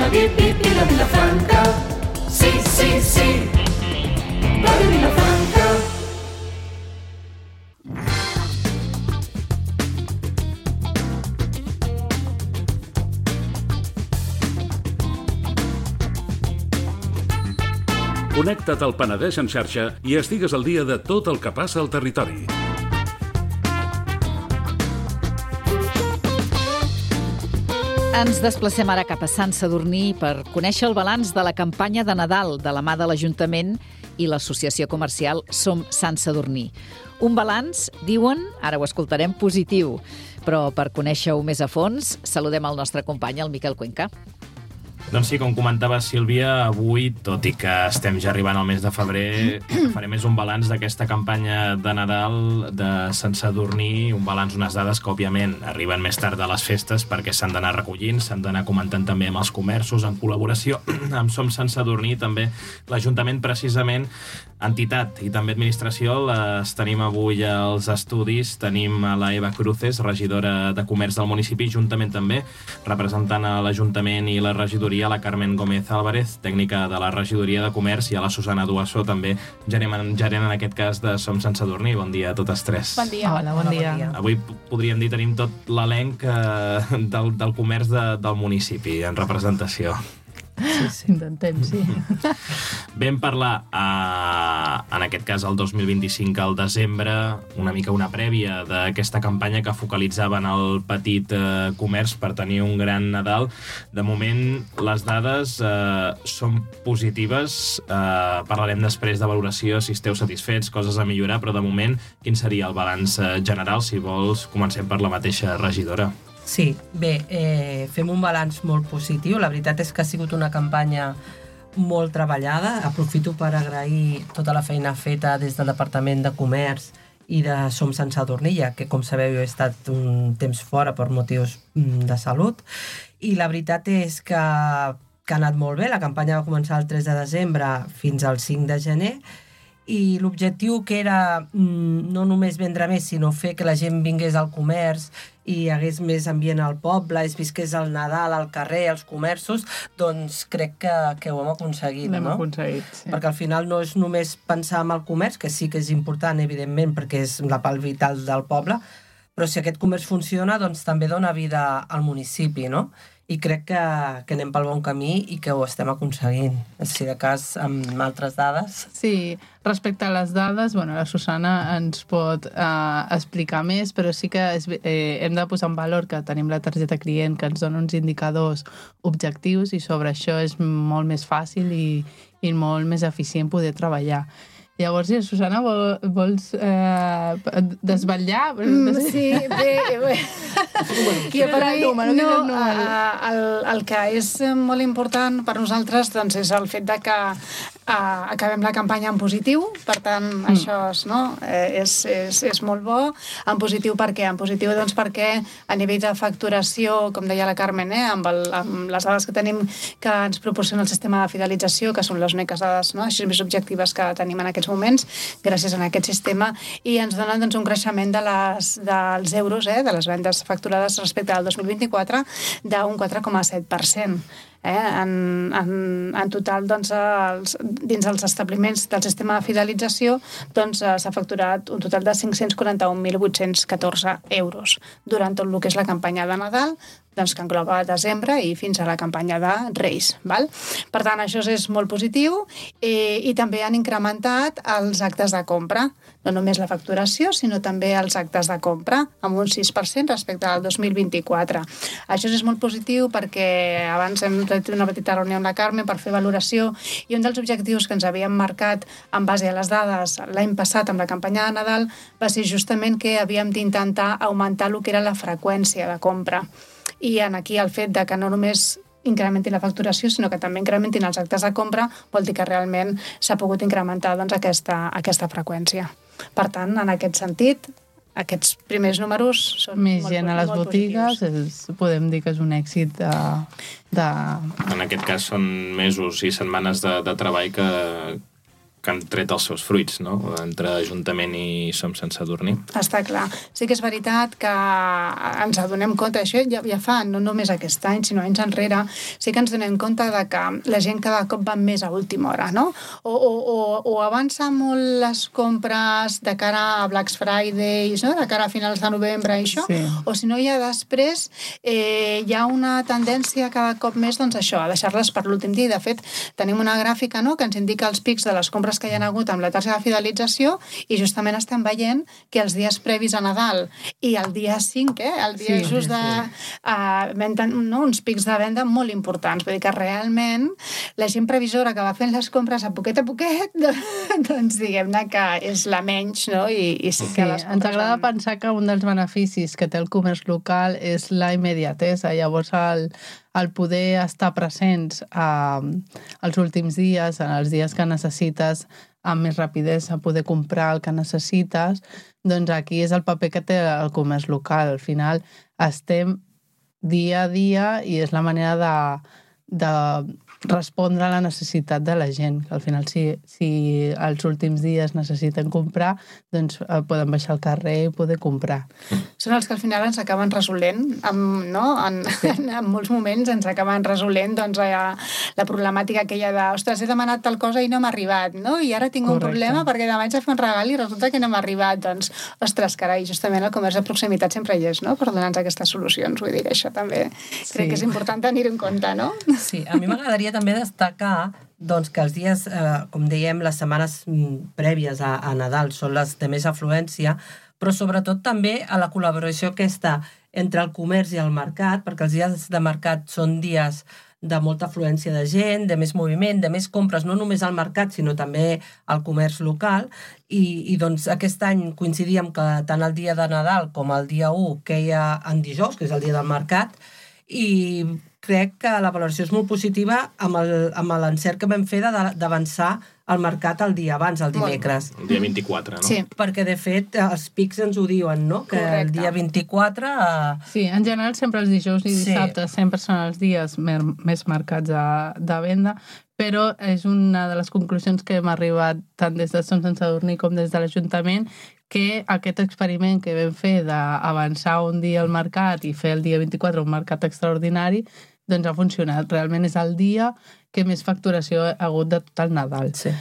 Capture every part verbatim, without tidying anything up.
la Vip, Vip i la Vilafranca. Sí, sí, sí, Ràdio Vilafranca. Connecta't al Penedès en xarxa i estigues al dia de tot el que passa al territori. Ens desplacem ara cap a Sant Sadurní per conèixer el balanç de la campanya de Nadal de la mà de l'Ajuntament i l'associació comercial Som Sant Sadurní. Un balanç, diuen, ara ho escoltarem, positiu. Però per conèixer-ho més a fons, saludem el nostre company, el Miquel Cuenca. Doncs sí, com comentava Sílvia, avui, tot i que estem ja arribant al mes de febrer, farem més un balanç d'aquesta campanya de Nadal de Sant Sadurní, un balanç, unes dades que, òbviament, arriben més tard de les festes perquè s'han d'anar recollint, s'han d'anar comentant també amb els comerços, en col·laboració amb Som Sant Sadurní, també l'Ajuntament, precisament, entitat i també administració, les tenim avui als estudis. Tenim a la Eva Cruces, regidora de Comerç del municipi, juntament també representant a l'Ajuntament i la regidoria, la Carmen Gómez Álvarez, tècnica de la regidoria de Comerç, i a la Susana Duasso, també gerent, gerent en aquest cas de Som Sant Sadurní. Bon dia a totes tres. Bon dia. Hola, bon dia. Avui podríem dir tenim tot l'elenc eh, del, del comerç de, del municipi en representació. Sí, sí. Intentem, sí. Vam parlar, eh, en aquest cas, el dos mil vint-i-cinc, al desembre, una mica una prèvia d'aquesta campanya que focalitzava en el petit eh, comerç per tenir un gran Nadal. De moment, les dades eh, són positives. Eh, parlarem després de valoració, si esteu satisfets, coses a millorar, però de moment, quin seria el balanç eh, general? Si vols, comencem per la mateixa regidora. Sí, bé, eh, fem un balanç molt positiu. La veritat és que ha sigut una campanya molt treballada. Aprofito per agrair tota la feina feta des del Departament de Comerç i de Som Sant Sadurní, que, com sabeu, he estat un temps fora per motius de salut. I la veritat és que, que ha anat molt bé. La campanya va començar el tres de desembre fins al cinc de gener, i l'objectiu, que era no només vendre més, sinó fer que la gent vingués al comerç i hi hagués més ambient al poble, es visqués el Nadal al carrer, als comerços, doncs crec que, que ho hem aconseguit, L'hem no? aconseguit, sí. Perquè al final no és només pensar en el comerç, que sí que és important, evidentment, perquè és la pal vital del poble, però si aquest comerç funciona, doncs també dona vida al municipi, no? I crec que, que anem pel bon camí i que ho estem aconseguint. Si de cas, amb altres dades... Sí, respecte a les dades, bueno, la Susana ens pot eh, explicar més, però sí que és, eh, hem de posar en valor que tenim la targeta client que ens dona uns indicadors objectius i sobre això és molt més fàcil i, i molt més eficient poder treballar. Llavors, Susana, vol, vols eh, desvetllar? Mm, sí, bé, bé. Qui per mi, no, no, el, el que és molt important per nosaltres doncs, és el fet de que uh, acabem la campanya en positiu, per tant, mm. això és, no? eh, és, és, és molt bo. En positiu per què? En positiu doncs, perquè a nivell de facturació, com deia la Carmen, eh, amb, el, amb les dades que tenim que ens proporciona el sistema de fidelització, que són les úniques dades, no? Així més objectives que tenim en aquests moments, gràcies a aquest sistema, i ens donen doncs, un creixement de les, dels euros, eh, de les vendes facturades respecte al dos mil vint-i-quatre d'un quatre coma set per cent. Eh? En, en, en total, doncs, els, dins els establiments del sistema de fidelització doncs, s'ha facturat un total de cinc-cents quaranta-un mil vuit-cents catorze euros durant tot el que és la campanya de Nadal, doncs, que engloba desembre i fins a la campanya de Reis. Val? Per tant, això és molt positiu i, i també han incrementat els actes de compra, no només la facturació, sinó també els actes de compra, amb un sis per cent respecte al dos mil vint-i-quatre. Això és molt positiu perquè abans hem fet una petita reunió amb la Carmen per fer valoració i un dels objectius que ens havíem marcat en base a les dades l'any passat amb la campanya de Nadal va ser justament que havíem d'intentar augmentar el que era la freqüència de compra. I en aquí el fet de que no només incrementin la facturació, sinó que també incrementin els actes de compra, vol dir que realment s'ha pogut incrementar doncs, aquesta, aquesta freqüència. Per tant, en aquest sentit, aquests primers números són més molt, gent a les molt botigues, és, podem dir que és un èxit de, de... En aquest cas són mesos i setmanes de, de treball que, que han tret els seus fruits, no? Entre Ajuntament i Som Sant Sadurní. Està clar. Sí que és veritat que ens adonem compte, això ja, ja fa no només aquest any, sinó anys enrere, sí que ens donem compte de que la gent cada cop va més a última hora, no? O, o, o, o avança molt les compres de cara a Black Fridays, no? De cara a finals de novembre i això, sí. O si no, ja després eh, hi ha una tendència cada cop més, doncs això, a deixar-les per l'últim dia. De fet, tenim una gràfica, no?, que ens indica els pics de les compres que hi ha hagut amb la taxa de fidelització i justament estem veient que els dies previs a Nadal i el dia cinc, eh, el dia sí, just de sí. uh, venda, no, uns pics de venda molt importants. Vull dir que realment la gent previsora que va fent les compres a poquet a poquet, doncs diguem-ne que és la menys, no? I, i sí que sí, les ens agrada van... pensar que un dels beneficis que té el comerç local és la immediatesa. Llavors el, el poder estar presents eh, els últims dies, en els dies que necessites amb més rapidesa poder comprar el que necessites, doncs aquí és el paper que té el comerç local. Al final estem dia a dia i és la manera de, de respondre a la necessitat de la gent, que al final si, si els últims dies necessiten comprar, doncs eh, poden baixar al carrer i poder comprar. Són els que al final ens acaben resolent, amb, no? En, sí. en, en molts moments ens acaben resolent doncs, la, la problemàtica aquella de ostres, he demanat tal cosa i no m'ha arribat, no? I ara tinc Correcte. un problema perquè demà haig de fer un regal i resulta que no m'ha arribat. Doncs, ostres, carai, justament el comerç de proximitat sempre hi és, no?, per donar-nos aquestes solucions. Vull dir que això també sí. crec que és important tenir-ho en compte, no? Sí, a mi m'agradaria també destacar doncs, que els dies, eh, com dèiem, les setmanes prèvies a, a Nadal són les de més afluència, però sobretot també a la col·laboració aquesta entre el comerç i el mercat, perquè els dies de mercat són dies de molta afluència de gent, de més moviment, de més compres, no només al mercat, sinó també al comerç local, i, i doncs aquest any coincidíem que tant el dia de Nadal com el dia u queia en dijous, que és el dia del mercat, i crec que la valoració és molt positiva amb l'encert que vam fer d'avançar al mercat el dia abans, el dimecres. El dia vint-i-quatre, no? Sí, perquè de fet els pics ens ho diuen, no? Que Correcte. el dia vint-i-quatre... Eh... Sí, en general sempre els dijous i dissabtes sí. sempre són els dies més marcats de, de venda, però és una de les conclusions que hem arribat tant des de Som Sant Sadurní com des de l'Ajuntament, que aquest experiment que vam fer d'avançar un dia al mercat i fer el dia vint-i-quatre un mercat extraordinari, doncs ha funcionat. Realment és el dia que més facturació ha hagut de tot el Nadal. Sí.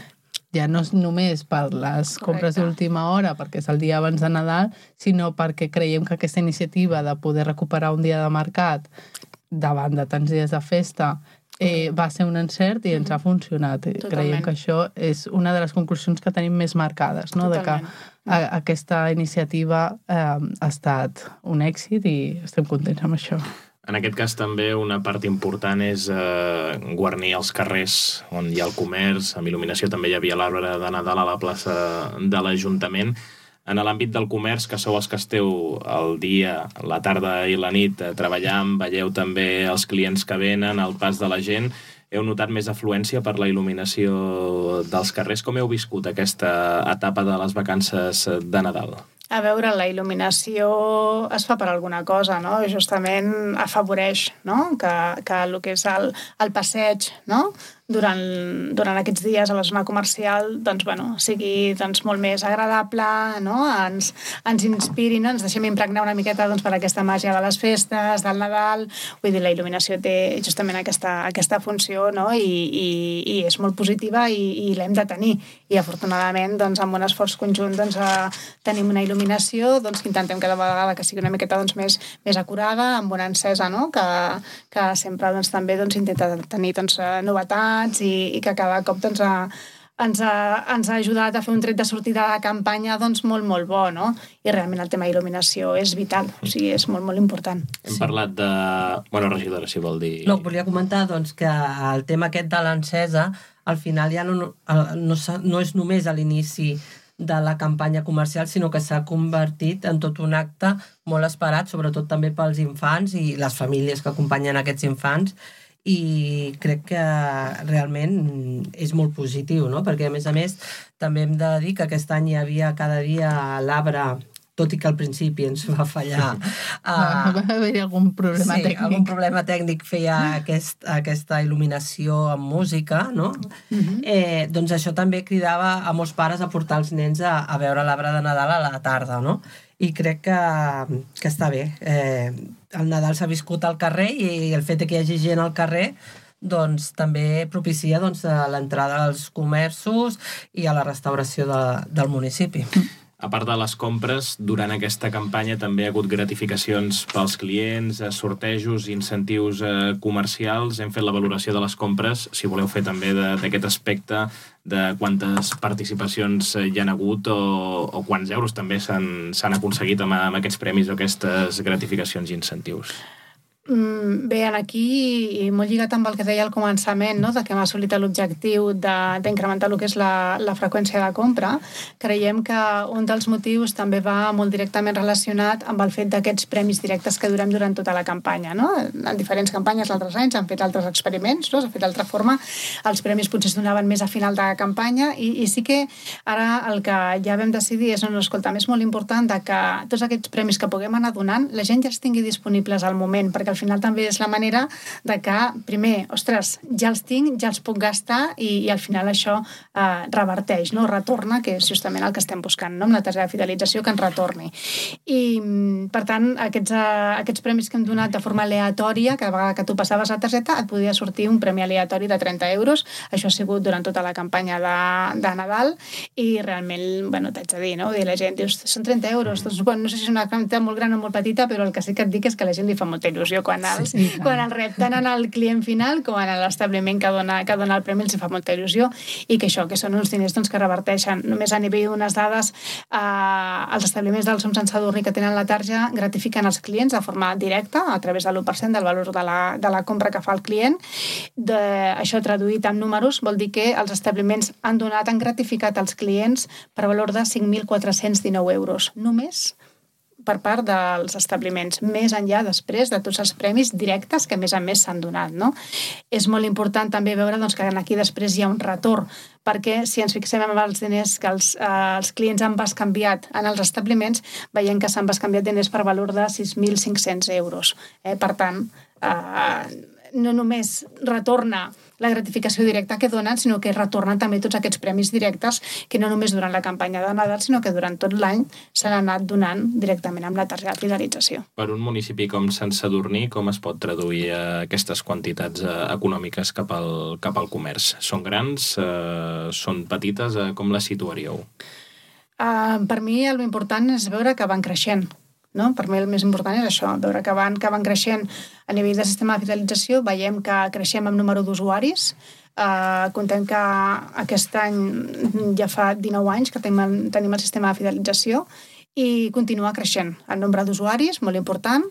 Ja no és només per les compres d'última hora, perquè és el dia abans de Nadal, sinó perquè creiem que aquesta iniciativa de poder recuperar un dia de mercat davant de tants dies de festa eh, va ser un encert i ens ha funcionat. Totalment. Creiem que això és una de les conclusions que tenim més marcades, no? De que a, aquesta iniciativa eh, ha estat un èxit i estem contents amb això. En aquest cas també una part important és eh, guarnir els carrers on hi ha el comerç, amb il·luminació també hi havia l'arbre de Nadal a la plaça de l'Ajuntament. En l'àmbit del comerç, que sou els que esteu el dia, la tarda i la nit eh, treballant, veieu també els clients que venen, el pas de la gent, heu notat més afluència per la il·luminació dels carrers. Com heu viscut aquesta etapa de les vacances de Nadal? A veure, la il·luminació es fa per alguna cosa, no? Justament afavoreix, no?, que, que el que és el, el passeig, no?, durant, durant aquests dies a la zona comercial, doncs, bueno, sigui doncs, molt més agradable, no?, ens, ens inspiri, no?, ens deixem impregnar una miqueta doncs, per aquesta màgia de les festes, del Nadal. Vull dir, la il·luminació té justament aquesta, aquesta funció, no?, i, i, i és molt positiva i, i l'hem de tenir. I afortunadament, doncs, amb un esforç conjunt, doncs, tenim una il·luminació doncs, que intentem cada vegada que sigui una miqueta doncs, més, més acurada, amb una encesa, no?, que, que sempre doncs, també doncs, intenta tenir doncs, novetats i, i que cada cop doncs, ha, ens, ha, ens ha ajudat a fer un tret de sortida de campanya doncs, molt, molt bo, no? I realment el tema d'il·luminació és vital, o sigui, és molt, molt important. Hem sí. parlat de... Bueno, regidora, si vol dir... No, volia comentar doncs, que el tema aquest de l'encesa, al final ja no, no, no, no és només a l'inici de la campanya comercial, sinó que s'ha convertit en tot un acte molt esperat, sobretot també pels infants i les famílies que acompanyen aquests infants, i crec que realment és molt positiu, no? Perquè a més a més també hem de dir que aquest any hi havia cada dia l'arbre tot i que al principi ens va fallar. Va, va haver-hi algun problema sí, tècnic. algun problema tècnic feia aquest, aquesta il·luminació amb música, no? Uh-huh. eh, doncs això també cridava a molts pares a portar els nens a, a veure l'arbre de Nadal a la tarda, no? I crec que, que està bé. Eh, el Nadal s'ha viscut al carrer i el fet que hi hagi gent al carrer doncs també propicia doncs, l'entrada als comerços i a la restauració de, del municipi. A part de les compres, durant aquesta campanya també ha hagut gratificacions pels clients, sortejos, incentius eh, comercials. Hem fet la valoració de les compres, si voleu fer també d'aquest aspecte, de quantes participacions hi ha hagut o, o quants euros també s'han aconseguit amb, amb aquests premis o aquestes gratificacions i incentius. Bé, aquí, i molt lligat amb el que deia al començament, no? De que hem assolit l'objectiu d'incrementar el que és la, la freqüència de compra, creiem que un dels motius també va molt directament relacionat amb el fet d'aquests premis directes que durem durant tota la campanya. No? En diferents campanyes d'altres anys han fet altres experiments, no? S'ha fet d'altra forma, els premis potser es donaven més a final de campanya i, i sí que ara el que ja vam decidir és, no, no, escolta, és molt important de que tots aquests premis que puguem anar donant, la gent ja els tingui disponibles al moment, perquè al final també és la manera de que, primer, ostres, ja els tinc, ja els puc gastar i, i al final això eh, reverteix, no? Retorna, que és justament el que estem buscant, no? Amb la targeta de fidelització que ens retorni. I, per tant, aquests, eh, aquests premis que hem donat de forma aleatòria, cada vegada que tu passaves la targeta et podia sortir un premi aleatori de trenta euros. Això ha sigut durant tota la campanya de, de Nadal i realment, bueno, t'haig de dir, no? I la gent dius, són trenta euros. Doncs, bueno, no sé si és una quantitat molt gran o molt petita, però el que sí que et dic és que a la gent li fa molta il·lusió quan els, sí, quan el rep tant en el client final com en l'establiment que dona, que dona el premi els fa molta il·lusió i que això, que són uns diners doncs, que reverteixen. Només a nivell d'unes dades eh, els establiments del Som Sant Sadurní que tenen la tarja gratifiquen els clients de forma directa a través de l'u per cent del valor de la, de la compra que fa el client. De, això traduït en números vol dir que els establiments han donat, han gratificat als clients per valor de cinc mil quatre-cents dinou euros. Només per part dels establiments, més enllà després de tots els premis directes que a més a més s'han donat. No? És molt important també veure doncs, que aquí després hi ha un retorn, perquè si ens fixem en els diners que els, eh, els clients han bescanviat en els establiments, veiem que s'han bescanviat diners per valor de sis mil cinc-cents euros. Eh? Per tant, eh, no només retorna la gratificació directa que donen, sinó que retornen també tots aquests premis directes que no només durant la campanya de Nadal, sinó que durant tot l'any s'han anat donant directament amb la targeta de fidelització. Per un municipi com Sant Sadurní, com es pot traduir aquestes quantitats econòmiques cap al, cap al comerç? Són grans? Eh, són petites? Eh, com les situaríeu? Uh, per mi el important és veure que van creixent. No? Per mi el més important és això, veure que van, que van creixent a nivell de sistema de fidelització, veiem que creixem amb número d'usuaris, eh, contem que aquest any ja fa dinou anys que tenim, tenim el sistema de fidelització i continua creixent el nombre d'usuaris, molt important,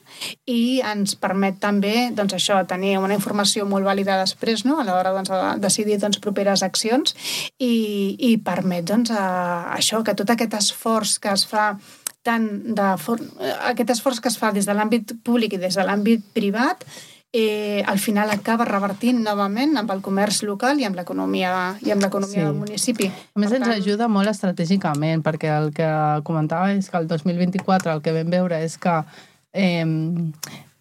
i ens permet també doncs, això, tenir una informació molt vàlida després, no? A l'hora doncs, de decidir doncs, properes accions i, i permet doncs, a, això, que tot aquest esforç que es fa tant de for... aquest esforç que es fa des de l'àmbit públic i des de l'àmbit privat eh, al final acaba revertint novament amb el comerç local i amb l'economia i amb l'economia sí. del municipi. A més, per ens tant... ajuda molt estratègicament, perquè el que comentava és que el dos mil vint-i-quatre el que vam veure és que eh,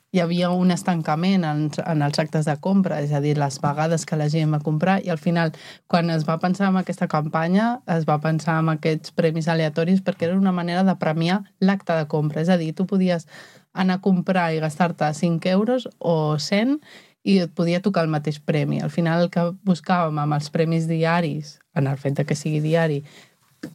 hi havia un estancament en, en els actes de compra, és a dir, les vegades que la gent va comprar, i al final, quan es va pensar en aquesta campanya, es va pensar en aquests premis aleatoris perquè era una manera de premiar l'acte de compra. És a dir, tu podies anar a comprar i gastar-te cinc euros o cent i et podia tocar el mateix premi. Al final, el que buscàvem amb els premis diaris, en el fet de que sigui diari,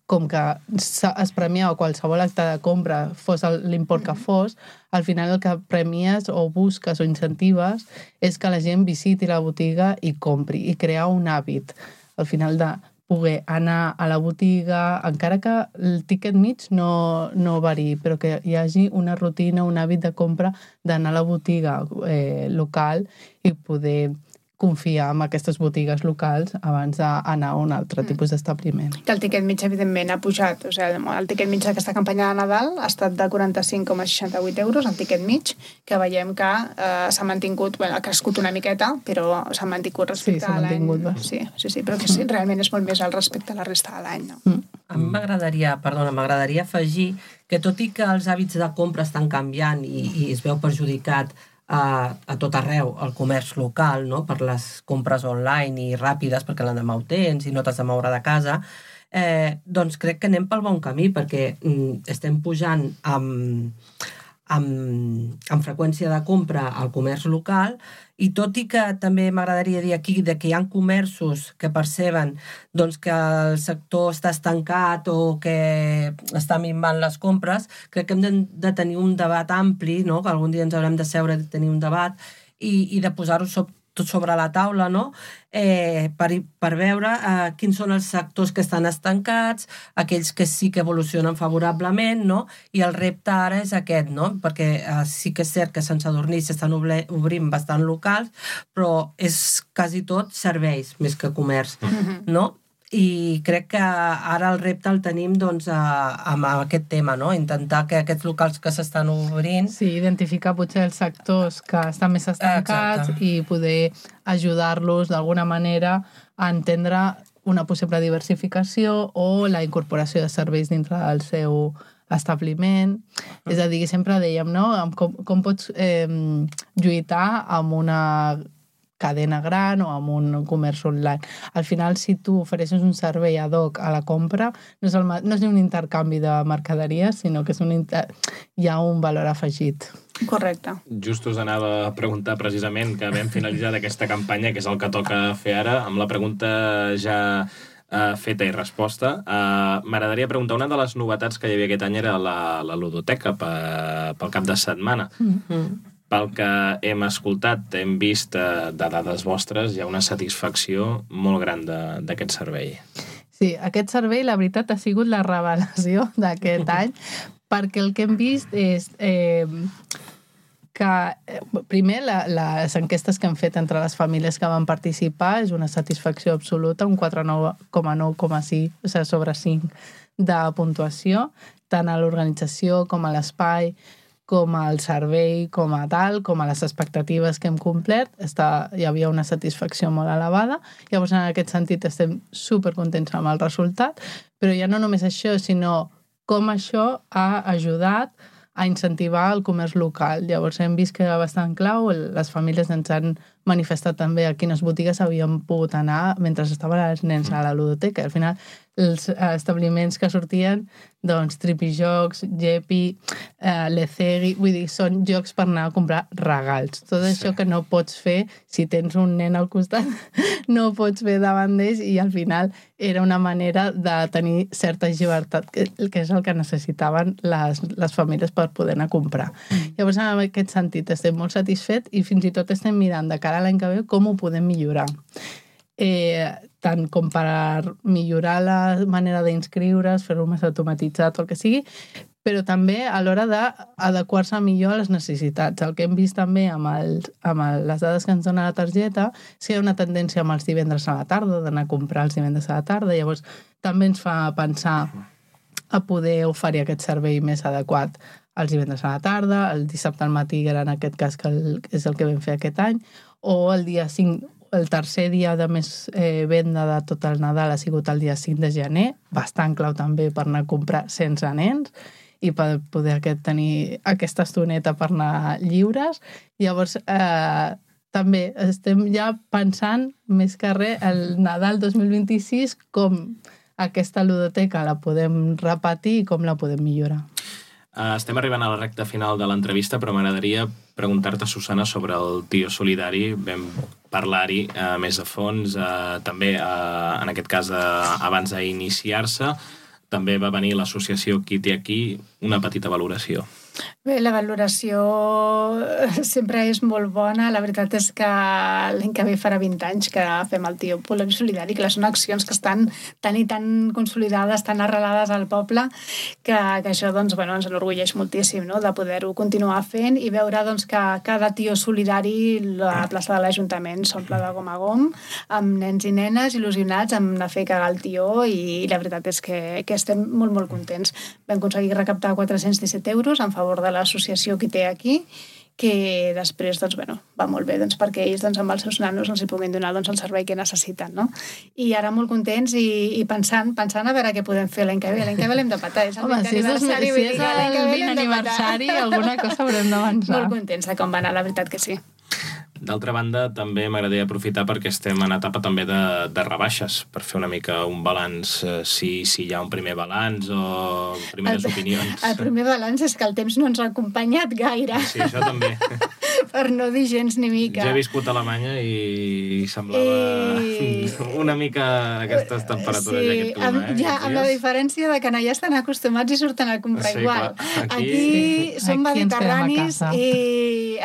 com que es premiava qualsevol acte de compra, fos l'import que fos, al final el que premies o busques o incentives és que la gent visiti la botiga i compri, i crear un hàbit. Al final de poder anar a la botiga, encara que el tiquet mig no, no variï, però que hi hagi una rutina, un hàbit de compra d'anar a la botiga eh, local i poder confiar en aquestes botigues locals abans d'anar a un altre tipus d'establiment. Que el tiquet mig, evidentment, ha pujat. O sigui, el tiquet mig d'aquesta campanya de Nadal ha estat de quaranta-cinc coma seixanta-vuit euros, el tiquet mig, que veiem que eh, s'ha mantingut, bueno, ha crescut una miqueta, però s'ha mantingut respecte sí, a l'any. Sí, sí, sí, sí, però que sí, realment és molt més al respecte a la resta de l'any. No? Mm. A mi m'agradaria, perdona, m'agradaria afegir que tot i que els hàbits de compra estan canviant i, i es veu perjudicat a, a tot arreu el comerç local, no? Per les compres online i ràpides, perquè l'endemà ho tens i no t'has de moure de casa, eh, doncs crec que anem pel bon camí, perquè mm, estem pujant amb, amb, amb freqüència de compra al comerç local, i tot i que també m'agradaria dir aquí de que hi ha comerços que perceben doncs, que el sector està estancat o que està minvant les compres, crec que hem de, de tenir un debat ampli, no? Que algun dia ens haurem de seure i tenir un debat i, i de posar-ho sobre tot sobre la taula, no? eh, per, per veure eh, quins són els sectors que estan estancats, aquells que sí que evolucionen favorablement, no? I el repte ara és aquest, no? Perquè eh, sí que és cert que sense dormir s'estan obrint bastant locals, però és quasi tot serveis més que comerç, mm-hmm. no? I crec que ara el repte el tenim doncs, a, amb aquest tema, no? Intentar que aquests locals que s'estan obrint... Sí, identificar potser els sectors que estan més estancats Exacte. I poder ajudar-los d'alguna manera a entendre una possible diversificació o la incorporació de serveis dintre del seu establiment. Mm. És a dir, sempre dèiem, no? Com, com pots eh, lluitar amb una cadena gran o amb un comerç online. Al final, si tu ofereixes un servei ad hoc a la compra, no és, el, no és ni un intercanvi de mercaderies, sinó que és un inter... hi ha un valor afegit. Correcte. Just us anava a preguntar precisament que vam finalitzar aquesta campanya, que és el que toca fer ara, amb la pregunta ja uh, feta i resposta. Uh, M'agradaria preguntar, una de les novetats que hi havia aquest any era la, la ludoteca pe, pel cap de setmana. Mm-hmm. Pel que hem escoltat, hem vist de dades vostres, hi ha una satisfacció molt gran d'aquest servei. Sí, aquest servei, la veritat, ha sigut la revelació d'aquest any, perquè el que hem vist és eh, que, primer, la, les enquestes que hem fet entre les famílies que van participar és una satisfacció absoluta, un quatre coma nou coma cinc, o sigui, sobre cinc de puntuació, tant a l'organització com a l'espai, com al servei, com a tal, com a les expectatives que hem complert, està, hi havia una satisfacció molt elevada. Llavors, en aquest sentit, estem supercontents amb el resultat, però ja no només això, sinó com això ha ajudat a incentivar el comerç local. Llavors, hem vist que era bastant clau, les famílies ens han manifestat també a quines botigues havien pogut anar mentre estaven els nens a la ludoteca. Al final, els establiments que sortien, doncs, Tripijocs, Jepi, eh, Lecegui, vull dir, són jocs per anar a comprar regals. Tot això que no pots fer si tens un nen al costat, no pots fer davant d'ells, i al final era una manera de tenir certa llibertat, que, que és el que necessitaven les, les famílies per poder anar a comprar. Llavors, en aquest sentit, estem molt satisfets i fins i tot estem mirant de cara a l'any que ve com ho podem millorar. Eh, tant com per millorar la manera d'inscriure's, fer-ho més automatitzat o el que sigui, però també a l'hora d'adequar-se millor a les necessitats. El que hem vist també amb, el, amb el, les dades que ens dona la targeta és que hi ha una tendència amb els divendres a la tarda, d'anar a comprar els divendres a la tarda, llavors també ens fa pensar a poder oferir aquest servei més adequat els divendres a la tarda, el dissabte al matí, que era en aquest cas que el, és el que vam fer aquest any, o el dia cinc, el tercer dia de més eh, venda de tot el Nadal ha sigut el dia cinc de gener, bastant clau també per anar a comprar sense nens i per poder aquest, tenir aquesta estoneta per anar lliures. Llavors, eh, també estem ja pensant més que res el Nadal dos mil vint-i-sis, com aquesta ludoteca la podem repetir i com la podem millorar. Uh, estem arribant a la recta final de l'entrevista, però m'agradaria preguntar-te, Susana, sobre el Tio Solidari. Vam parlar-hi uh, més a fons, uh, també, uh, en aquest cas, uh, abans d'iniciar-se. També va venir l'associació Qui té aquí, una petita valoració. Bé, la valoració sempre és molt bona. La veritat és que l'any que ve farà vint anys que fem el Tio Poloni Solidari, que són accions que estan tan i tan consolidades, tan arrelades al poble, que, que això doncs, bueno, ens enorgulleix moltíssim, no?, de poder-ho continuar fent i veure doncs, que cada Tio Solidari, la plaça de l'Ajuntament s'omple de gom a gom, amb nens i nenes il·lusionats amb anar a fer cagar el tió, i, i la veritat és que, que estem molt, molt contents. Vam aconseguir recaptar quatre-cents disset euros en favor de l'associació que té aquí, que després doncs, bueno, va molt bé doncs, perquè ells doncs, amb els seus nanos els hi puguin donar doncs, el servei que necessiten. No? I ara molt contents i, i pensant, pensant a veure què podem fer l'any que ve. L'any que ve l'hem de patar. És el Home, si és, aniversari, si és el vint aniversari, alguna cosa haurem d'avançar. Molt contents de com va anar, la veritat que sí. D'altra banda, també m'agradaria aprofitar perquè estem en etapa també de, de rebaixes, per fer una mica un balanç, eh, si, si hi ha un primer balanç o primeres el, opinions. El primer balanç és que el temps no ens ha acompanyat gaire. Sí, això també. Per no dir gens ni mica. Jo he viscut a Alemanya i semblava I... una mica aquestes temperatures sí, i aquest clima. Amb, eh, ja, amb la diferència de que allà estan acostumats i surten a comprar sí, igual. Clar. Aquí, Aquí sí. som Aquí mediterranis i,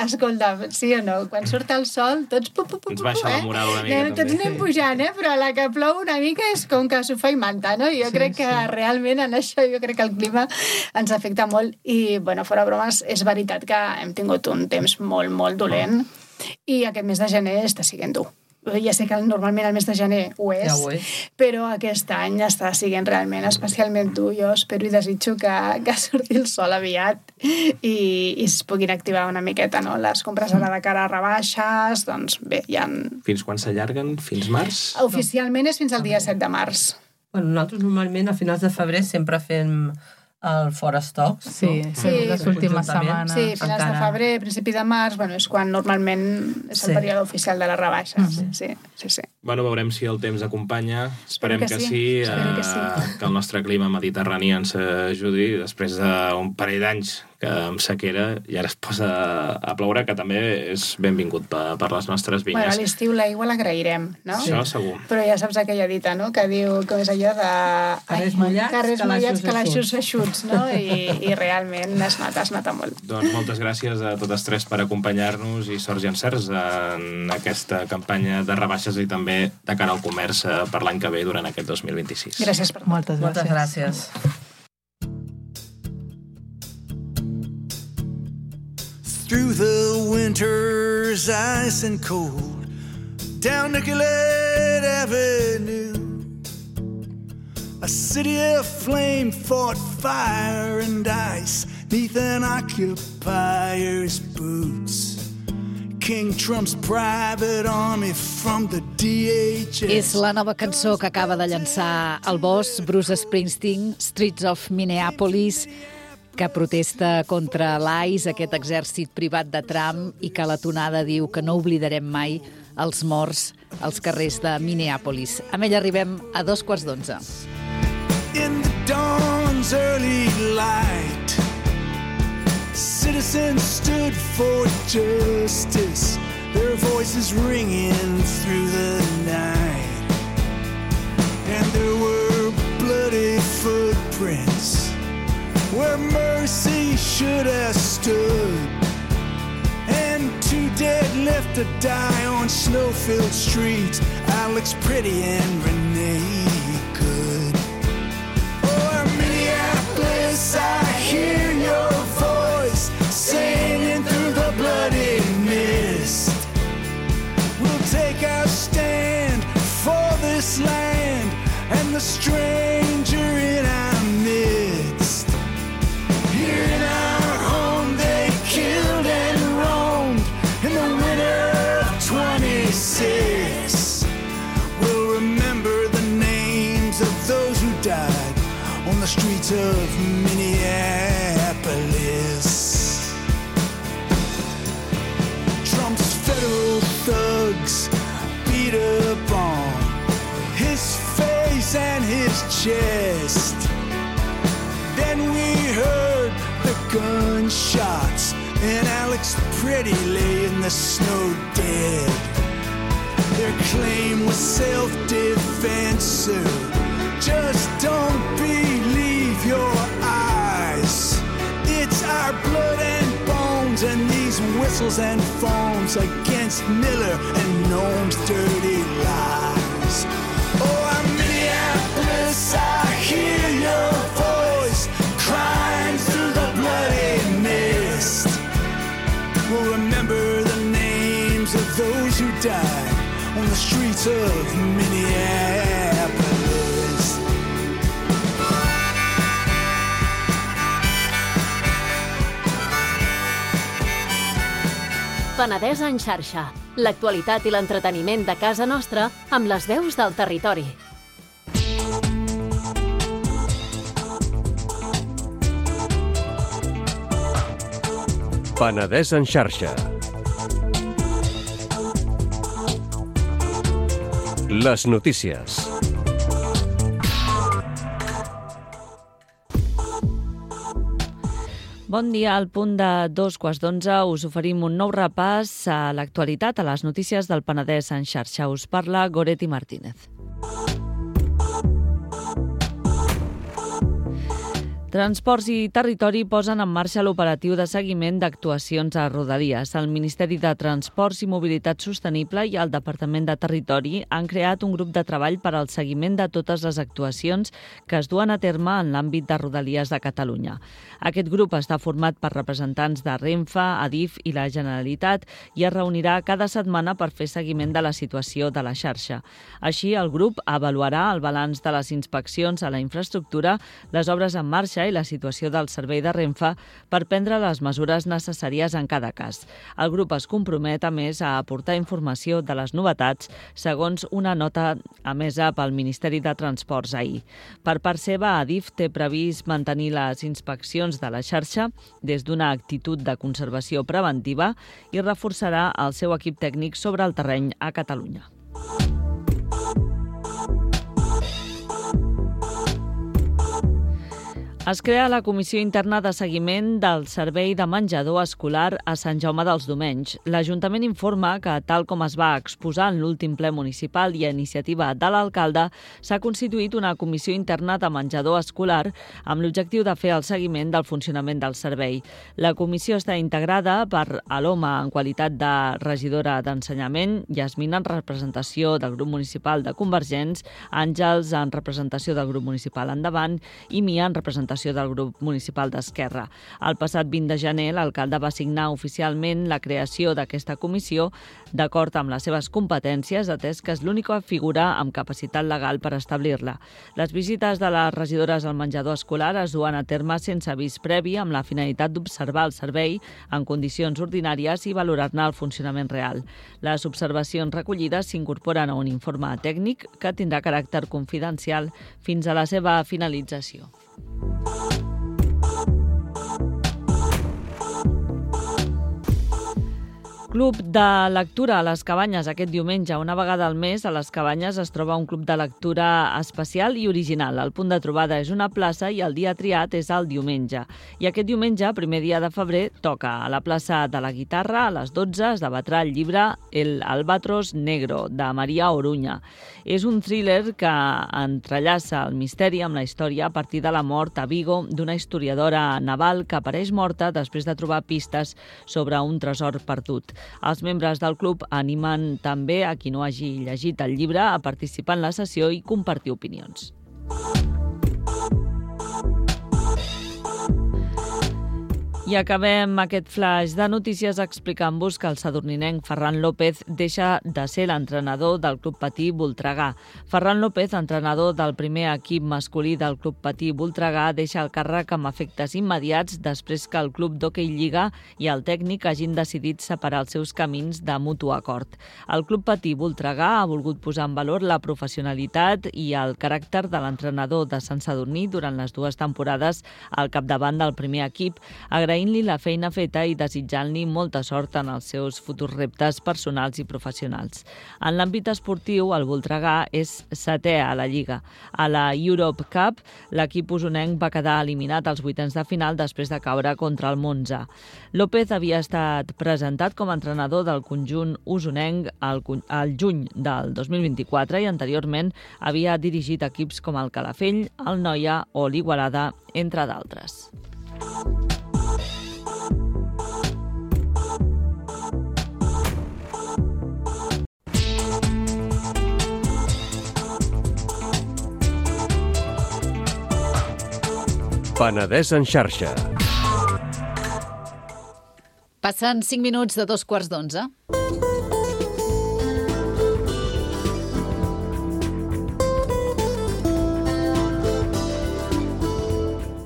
escolta, sí o no, quan surt el sol, tots pu, pu, pu, ens baixa eh? la moral una mica. Anem, tots també. anem pujant, eh? Però a la que plou una mica és com que sofà i manta, no? Jo Sí, crec que sí. realment en això jo crec que el clima ens afecta molt i, bueno, fora bromes, és veritat que hem tingut un temps molt, molt dolent i aquest mes de gener està siguent dur. Ja sé que normalment el mes de gener ho és, Ja ho és. però aquest any està siguent realment especialment dur. Jo espero i desitjo que, que surti el sol aviat i, i es puguin activar una miqueta, no? Les compres ara de cara a rebaixes, doncs bé, hi ha... Fins quan s'allarguen? Fins març? Oficialment és fins al dia set de març. Bueno, nosaltres normalment a finals de febrer sempre fem el Fora Stocks. Sí, no? sí, les últimes Conjuntament. setmanes. Sí, finals encara. de febrer, principi de març, bueno, és quan normalment és el Sí. període oficial de les rebaixes. Sí, sí, sí. sí. Bueno, veurem si el temps acompanya. Esperem que que, sí, sí, espero que sí. eh, que el nostre clima mediterrani ens ajudi després d'un parell d'anys que amb sequera i ara es posa a ploure, que també és benvingut per, per les nostres Bueno, a vinyes. l'estiu l'aigua l'agrairem, no? Això segur. Però ja saps aquella dita, no?, que diu, com és allò de... Carrers Ai, mullats, carrers calaixos mullats, calaixos eixuts, no? I, I realment es nota, es nota molt. Doncs moltes gràcies a totes tres per acompanyar-nos i sorts i encerts en aquesta campanya de rebaixes i també de cara al comerç eh, per l'any que ve durant aquest dos mil vint-i-sis. Gràcies per tot. Moltes Moltes gràcies. gràcies. Through the winter's ice and cold, down Nicollet Avenue, a city of flame fought fire and ice neath an occupier's boots. King Trump's private army from the D H S. És la nova cançó que acaba de llançar el boss Bruce Springsteen, Streets of Minneapolis, que protesta contra l'ICE, aquest exèrcit privat de Trump, i que la tonada diu que no oblidarem mai els morts als carrers de Minneapolis. Amb ell arribem a dos quarts d'onze. In the dawn's early light, citizens stood for justice, their voices ringing through the night. And there were bloody footprints where mercy should have stood, and two dead left to die on snow-filled streets, Alex Pretty and Renee Good. Oh, Minneapolis, I hear your voice singing through the bloody mist. We'll take our stand for this land and the stranger in our midst. Here in our home they killed and roamed in the winter of twenty-six. We'll remember the names of those who died on the streets of Minneapolis. Trump's federal thugs beat upon his face and his chest. Then we heard the gunshots and Alex Pretty lay in the snow dead. Their claim was self-defense, sir. Just don't believe your eyes. It's our blood and whistles and foams against Miller and Nome's dirty lies. Oh, I'm Minneapolis, I hear your voice crying through the bloody mist. We'll remember the names of those who died on the streets of Minneapolis. Penedès en xarxa. L'actualitat i l'entreteniment de casa nostra amb les veus del territori. Penedès en xarxa. Les notícies. Bon dia, al punt de dos quarts d'onze us oferim un nou repàs a l'actualitat, a les notícies del Penedès en xarxa. Us parla Goretti Martínez. Transports i Territori posen en marxa l'operatiu de seguiment d'actuacions a Rodalies. El Ministeri de Transports i Mobilitat Sostenible i el Departament de Territori han creat un grup de treball per al seguiment de totes les actuacions que es duen a terme en l'àmbit de Rodalies de Catalunya. Aquest grup està format per representants de Renfe, Adif i la Generalitat i es reunirà cada setmana per fer seguiment de la situació de la xarxa. Així, el grup avaluarà el balanç de les inspeccions a la infraestructura, les obres en marxa i la situació del servei de Renfe per prendre les mesures necessàries en cada cas. El grup es compromet, a més, a aportar informació de les novetats, segons una nota emesa pel Ministeri de Transports ahir. Per part seva, Adif té previst mantenir les inspeccions de la xarxa des d'una actitud de conservació preventiva i reforçarà el seu equip tècnic sobre el terreny a Catalunya. Es crea la Comissió Interna de Seguiment del Servei de Menjador Escolar a Sant Jaume dels Domenys. L'Ajuntament informa que, tal com es va exposar en l'últim ple municipal i a iniciativa de l'alcalde, s'ha constituït una Comissió Interna de Menjador Escolar amb l'objectiu de fer el seguiment del funcionament del servei. La comissió està integrada per Aloma en qualitat de regidora d'Ensenyament, Yasmina en representació del grup municipal de Convergents, Àngels en representació del grup municipal Endavant i Mia en representació del grup municipal d'Esquerra. El passat vint de gener, l'alcalde va signar oficialment la creació d'aquesta comissió d'acord amb les seves competències, atès que és l'única figura amb capacitat legal per establir-la. Les visites de les regidores al menjador escolar es duen a terme sense avís previ amb la finalitat d'observar el servei en condicions ordinàries i valorar-ne el funcionament real. Les observacions recollides s'incorporen a un informe tècnic que tindrà caràcter confidencial fins a la seva finalització. Club de lectura a les Cabanyes aquest diumenge. Una vegada al mes a les Cabanyes es troba un club de lectura especial i original. El punt de trobada és una plaça i el dia triat és el diumenge. I aquest diumenge, primer dia de febrer, toca a la plaça de la Guitarra. A les dotze es debatrà el llibre El Albatros Negro, de Maria Oruña. És un thriller que entrellaça el misteri amb la història a partir de la mort a Vigo d'una historiadora naval que apareix morta després de trobar pistes sobre un tresor perdut. Els membres del club animen també a qui no hagi llegit el llibre a participar en la sessió i compartir opinions. I acabem aquest flash de notícies explicant-vos que el sadurninenc Ferran López deixa de ser l'entrenador del Club Patí Voltregà. Ferran López, entrenador del primer equip masculí del Club Patí Voltregà, deixa el càrrec amb efectes immediats després que el Club d'Hoquei Lliga i el tècnic hagin decidit separar els seus camins de mutu acord. El Club Patí Voltregà ha volgut posar en valor la professionalitat i el caràcter de l'entrenador de Sant Sadurní durant les dues temporades al capdavant del primer equip, agraint agraint-li la feina feta i desitjant-li molta sort en els seus futurs reptes personals i professionals. En l'àmbit esportiu, el Voltregà és setè a la Lliga. A la Europe Cup, l'equip usonenc va quedar eliminat als vuitens de final després de caure contra el Monza. López havia estat presentat com a entrenador del conjunt usonenc al, al juny del dos mil vint-i-quatre i anteriorment havia dirigit equips com el Calafell, el Noia o l'Igualada, entre d'altres. Penedès en xarxa. Passen cinc minuts de dos quarts d'onze.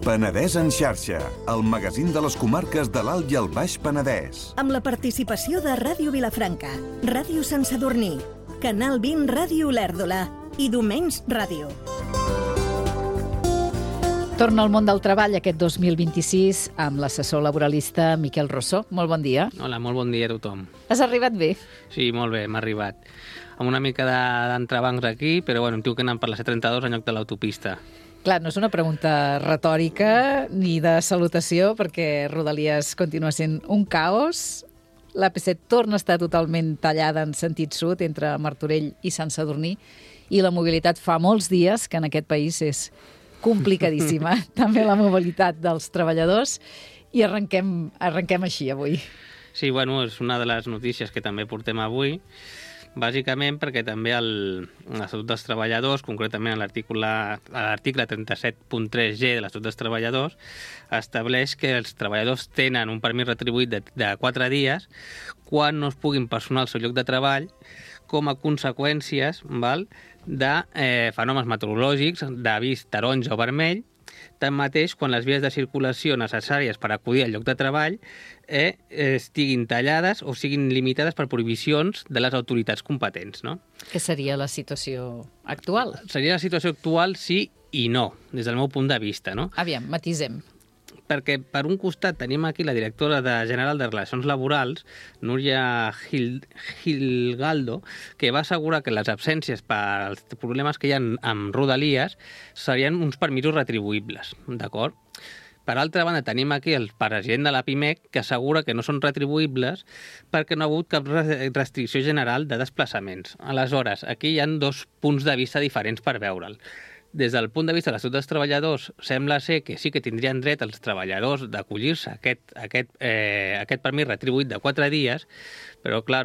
Penedès en xarxa, el magazín de les comarques de l'Alt i el Baix Penedès. Amb la participació de Ràdio Vilafranca, Ràdio Sant Sadurní, Canal vint Ràdio Olèrdola i Domenys Ràdio. Torna al món del treball aquest dos mil vint-i-sis amb l'assessor laboralista Miquel Rossó. Molt bon dia. Hola, molt bon dia a tothom. Has arribat bé? Sí, molt bé, m'ha arribat. Amb una mica d'entrebancs aquí, però bueno, em diu que anant per la C trenta-dos en lloc de l'autopista. Clar, no és una pregunta retòrica ni de salutació, perquè Rodalies continua sent un caos. L'A P set torna a estar totalment tallada en sentit sud entre Martorell i Sant Sadurní i la mobilitat fa molts dies que en aquest país és complicadíssima. També la mobilitat dels treballadors. I arrenquem, arrenquem així avui. Sí, bueno, és una de les notícies que també portem avui, bàsicament perquè també el, l'Estatut dels Treballadors, concretament l'article trenta-set punt tres G de l'Estatut dels Treballadors, estableix que els treballadors tenen un permís retribuït de, de quatre dies quan no es puguin personar al seu lloc de treball com a conseqüències val, de eh, fenòmens meteorològics, d'avís taronja o vermell. Tanmateix, quan les vies de circulació necessàries per acudir al lloc de treball eh, estiguin tallades o siguin limitades per prohibicions de les autoritats competents, no? Què seria la situació actual? Seria la situació actual sí i no, des del meu punt de vista, no? Aviam, matisem. Perquè, per un costat, tenim aquí la directora de General de Relacions Laborals, Núria Gil, Gilgaldo, que va assegurar que les absències pels problemes que hi ha amb Rodalies serien uns permisos retribuïbles, d'acord? Per altra banda, tenim aquí el president de la PIMEC que assegura que no són retribuïbles perquè no ha hagut cap restricció general de desplaçaments. Aleshores, aquí hi ha dos punts de vista diferents per veure'l. Des del punt de vista de l'Estatut dels Treballadors, sembla ser que sí que tindrien dret els treballadors d'acollir-se a aquest, aquest, eh, aquest permís retribuït de quatre dies, però, clar,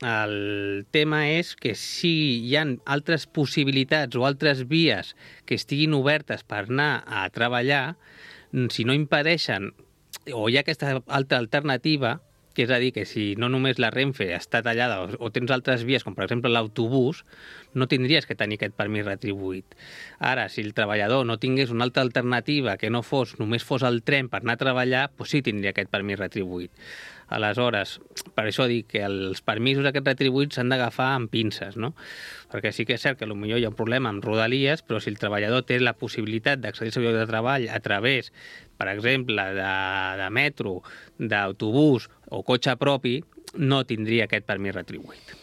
el tema és que si hi ha altres possibilitats o altres vies que estiguin obertes per anar a treballar, si no impedeixen o hi ha aquesta altra alternativa, que és a dir, que si no només la Renfe està tallada o, o tens altres vies, com per exemple l'autobús, no tindries que tenir aquest permís retribuït. Ara, si el treballador no tingués una altra alternativa que no fos, només fos el tren per anar a treballar, doncs sí tindria aquest permís retribuït. Aleshores, per això dic que els permisos aquests retribuïts s'han d'agafar amb pinces, no? Perquè sí que és cert que potser hi ha un problema amb Rodalies, però si el treballador té la possibilitat d'accedir al seu lloc de treball a través, per exemple, de, de metro, d'autobús o cotxe propi, no tindria aquest permís retribuït.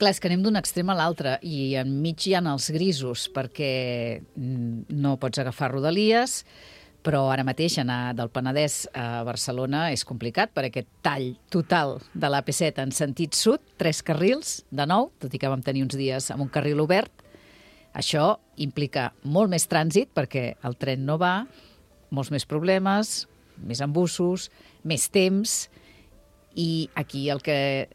Clar, és que anem d'un extrem a l'altre i enmig hi ha els grisos perquè no pots agafar Rodalies, però ara mateix anar del Penedès a Barcelona és complicat per aquest tall total de l'A P set en sentit sud, tres carrils, de nou, tot i que vam tenir uns dies amb un carril obert. Això implica molt més trànsit perquè el tren no va, molts més problemes, més embussos, més temps, i aquí el que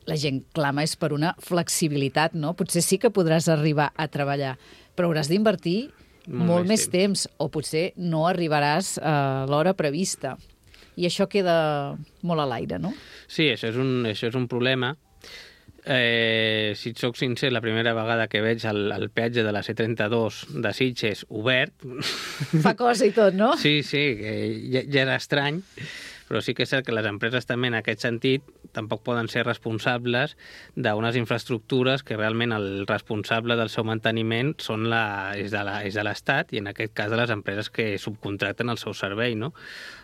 la gent clama és per una flexibilitat, no? Potser sí que podràs arribar a treballar, però hauràs d'invertir molt, molt més temps. temps, o potser no arribaràs a l'hora prevista. I això queda molt a l'aire, no? Sí, això és un, això és un problema. Eh, si et soc sincer, la primera vegada que veig el, el peatge de la C trenta-dos de Sitges obert... Fa cosa i tot, no? Sí, sí, que ja, ja era estrany, però sí que és cert que les empreses també en aquest sentit tampoc poden ser responsables d'unes infraestructures que realment el responsable del seu manteniment són la, és de l'Estat i en aquest cas de les empreses que subcontracten el seu servei, no?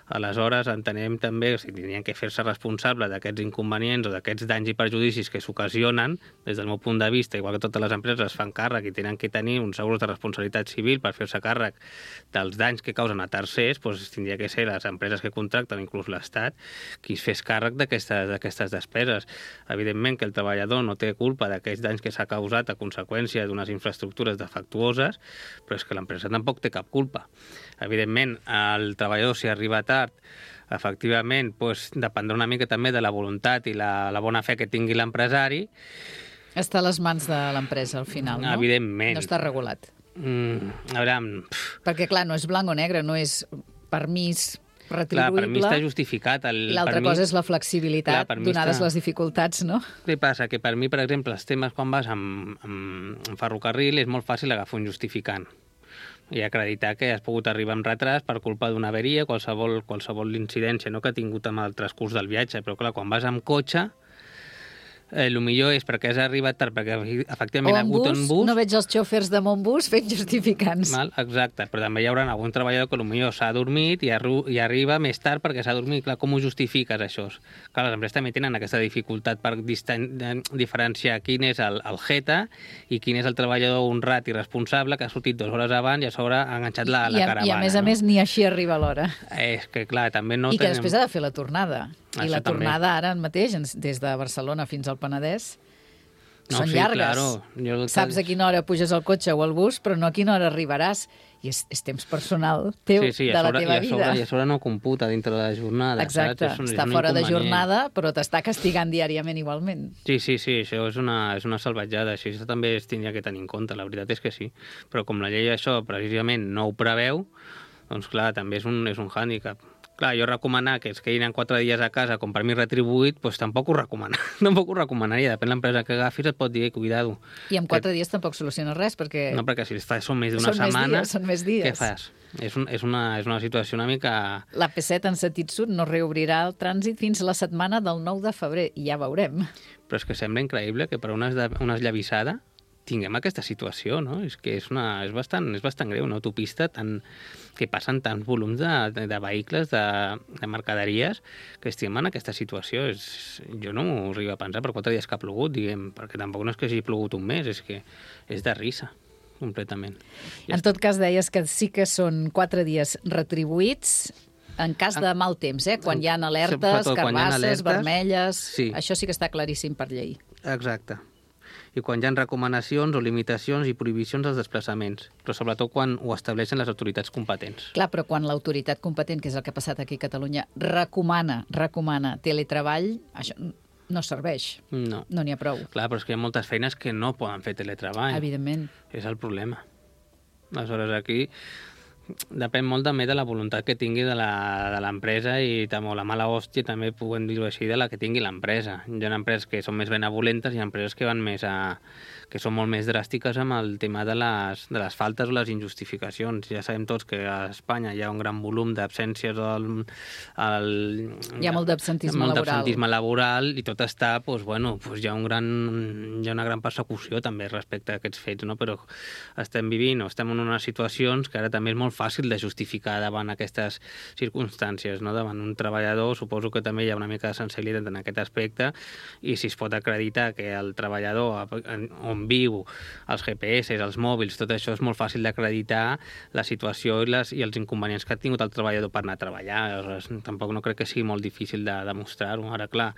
Aleshores, entenem també que si tindrien que fer-se responsable d'aquests inconvenients o d'aquests danys i perjudicis que s'ocasionen, des del meu punt de vista, igual que totes les empreses fan càrrec i tenen que tenir uns segurs de responsabilitat civil per fer-se càrrec dels danys que causen a tercers, doncs tindria que ser les empreses que contracten, inclús l'Estat, qui es fes càrrec d'aquestes despeses. Evidentment que el treballador no té culpa d'aquests danys que s'ha causat a conseqüència d'unes infraestructures defectuoses, però és que l'empresa tampoc té cap culpa. Evidentment, el treballador, si arriba tard, efectivament, doncs, dependrà una mica també de la voluntat i la, la bona fe que tingui l'empresari. Està a les mans de l'empresa, al final, no? Evidentment. No està regulat. Mm, a veure... Perquè, clar, no és blanc o negre, no és permís Clar, retribuïble. per mi està justificat. El, I l'altra cosa és la flexibilitat, clar, donades està... les dificultats, no? Què passa? Que per mi, per exemple, els temes quan vas amb, amb, amb ferrocarril és molt fàcil agafar un justificant i acreditar que has pogut arribar amb retras per culpa d'una averia, qualsevol, qualsevol incidència, no que ha tingut amb el transcurs del viatge, però clar, quan vas amb cotxe, Eh, el millor és perquè has arribat tard, perquè efectivament O ha en hagut bus, un bus... no veig els xòfers de Montbus fent justificants. Val? Exacte, però també hi haurà algun treballador que potser s'ha dormit i, arru i arriba més tard perquè s'ha dormit. Clar, com ho justifiques, això? Clar, les empreses també tenen aquesta dificultat per diferenciar quin és el, el jeta i quin és el treballador honrat i responsable que ha sortit dues hores abans i a sobre ha enganxat la, la I a, caravana. I a més a no? més ni així arriba a l'hora. És que, clar, també no I que tenim... després ha de fer la tornada. I Això la també. tornada ara mateix, des de Barcelona fins al Penedès, No, són sí, llargues. claro. Jo... Saps a quina hora puges al cotxe o al bus, però no a quina hora arribaràs. I és, és temps personal teu, sí, sí, de la sobre, teva i a sobre, vida. I a sobre no computa dintre de la jornada. Exacte, saps? És un, està és un fora de inconvenient. jornada, però t'està castigant diàriament igualment. Sí, sí, sí, això és una, és una salvatjada, això, això també es tindria que tenir en compte, la veritat és que sí. Però com la llei això precisament no ho preveu, doncs clar, també és un, és un hàndicap. Clar, jo recomanar que es quedin en quatre dies a casa com per mi retribuït, doncs tampoc ho recomana. tampoc ho recomanaria, depèn de l'empresa que agafis, et pot dir, cuidado. I en quatre que... dies tampoc soluciona res, perquè... No, perquè si fa, són més d'una són setmana... Més dies, són més dies. Què fas? És, un, és, una, és una situació una mica... La P set en sentit sud no reobrirà el trànsit fins la setmana del nou de febrer, i ja veurem. Però és que sembla increïble que per una, una esllavissada tinguem aquesta situació, no? És que és, una, és, bastant, és bastant greu, una autopista tan, que passen tants volums de, de, de vehicles, de, de mercaderies, que estiguem en aquesta situació. És, jo no m'ho arribo a pensar per quatre dies que ha plogut, diguem, perquè tampoc no és que hagi plogut un mes, és que és de risa, completament. Ja en tot cas, deies que sí que són quatre dies retribuïts, en cas de mal temps, eh? Quan hi ha alertes, carbasses, vermelles... Sí. Això sí que està claríssim per llei. Exacte. I quan hi ha recomanacions o limitacions i prohibicions als desplaçaments, però sobretot quan ho estableixen les autoritats competents. Clar, però quan l'autoritat competent, que és el que ha passat aquí a Catalunya, recomana, recomana teletreball, això no serveix. No. No n'hi ha prou. Clar, però és que hi ha moltes feines que no poden fer teletreball. Evidentment. És el problema. Aleshores, aquí depèn molt també de la voluntat que tingui de l'empresa i també, o la mala hòstia, també puguem dir-ho així, de la que tingui l'empresa. Hi ha empreses que són més benevolentes i hi ha empreses que van més a, que són molt més dràstiques amb el tema de les, de les faltes o les injustificacions. Ja sabem tots que a Espanya hi ha un gran volum d'absències al... El, hi ha molt d'absentisme molt laboral. d'absentisme laboral i tot està, doncs, bueno, doncs hi ha, un gran, hi ha una gran persecució també respecte a aquests fets, no? Però estem vivint o estem en unes situacions que ara també és molt fàcil de justificar davant aquestes circumstàncies, no? Davant un treballador suposo que també hi ha una mica de sensibilitat en aquest aspecte i si es pot acreditar que el treballador on viu, els G P S, els mòbils, tot això és molt fàcil d'acreditar la situació i, les, i els inconvenients que ha tingut el treballador per anar a treballar. Aleshores, tampoc no crec que sigui molt difícil de demostrar-ho. Ara, clar,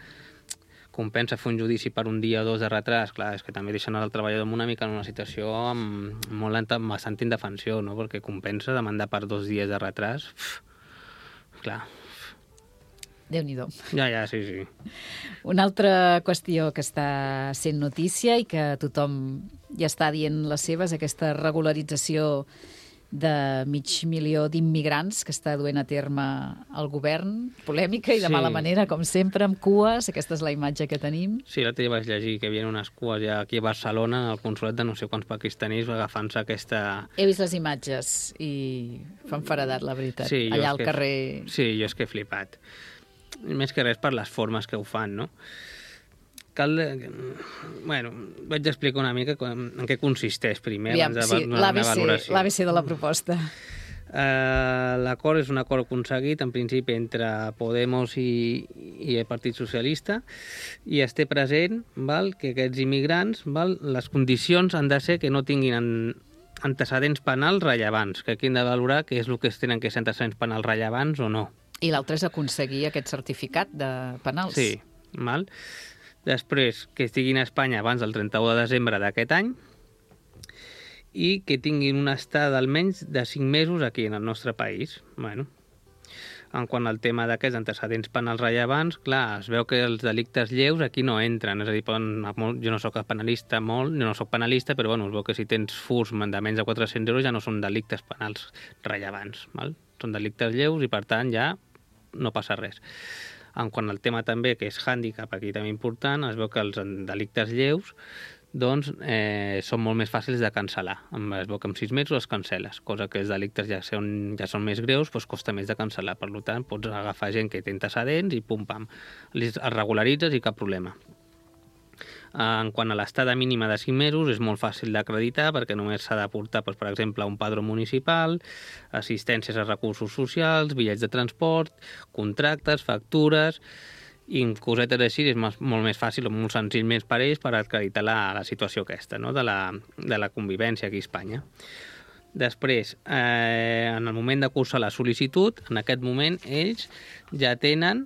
compensa fer un judici per un dia o dos de retras, clar, és que també deixen el treballador en una mica en una situació amb, molt lenta, amb bastant indefensió, no? Perquè compensa demandar per dos dies de retras. Uf, clar. Déu-n'hi-do. Ja, ja, sí, sí. Una altra qüestió que està sent notícia i que tothom ja està dient les seves, aquesta regularització de mig milió d'immigrants que està duent a terme el govern, polèmica i de Sí. mala manera, com sempre, amb cues. Aquesta és la imatge que tenim. Sí, l'altre dia vaig llegir que hi havia unes cues ja aquí a Barcelona, al consolat de no sé quants pakistanis, agafant-se aquesta... He vist les imatges i fan faradat, la veritat, Sí, jo allà és al que- carrer. Sí, jo és que he flipat. Més que res per les formes que ho fan, no? Cal... Bueno, vaig explicar una mica en què consisteix primer, Aviam, abans de sí, donar la meva valoració. l'A B C de la proposta. Uh, L'acord és un acord aconseguit, en principi, entre Podemos i, i el Partit Socialista, i es té present, val, que aquests immigrants, val, les condicions han de ser que no tinguin en, antecedents penals rellevants, que aquí hem de valorar què és el que es tenen que ser antecedents penals rellevants o no. I l'altre és aconseguir aquest certificat de penals. Sí, val. Després, que estiguin a Espanya abans del trenta-u de desembre d'aquest any i que tinguin una estada almenys de cinc mesos aquí en el nostre país. Bueno, en quant al tema d'aquests antecedents penals rellevants, clar, es veu que els delictes lleus aquí no entren, és a dir, poden, jo no soc penalista molt, jo no soc penalista, però bueno, es veu que si tens furs de menys de quatre-cents euros ja no són delictes penals rellevants, val? Són delictes lleus i, per tant, ja no passa res. En quant al tema també, que és hàndicap, aquí també important, es veu que els delictes lleus doncs eh, són molt més fàcils de cancel·lar. Es veu que en sis mesos es cancel·les, cosa que els delictes ja són, ja són més greus, doncs costa més de cancel·lar. Per tant, pots agafar gent que té antecedents i pum-pam, els regularitzes i cap problema. En quant a l'estada mínima de cinc mesos, és molt fàcil d'acreditar perquè només s'ha d'aportar, doncs, per exemple, un padró municipal, assistències a recursos socials, bitllets de transport, contractes, factures, i cosetes així és molt més fàcil o molt senzill més per ells per acreditar la, la situació aquesta, no? de, la, de la convivència aquí a Espanya. Després, eh, en el moment de cursar la sol·licitud, en aquest moment ells ja tenen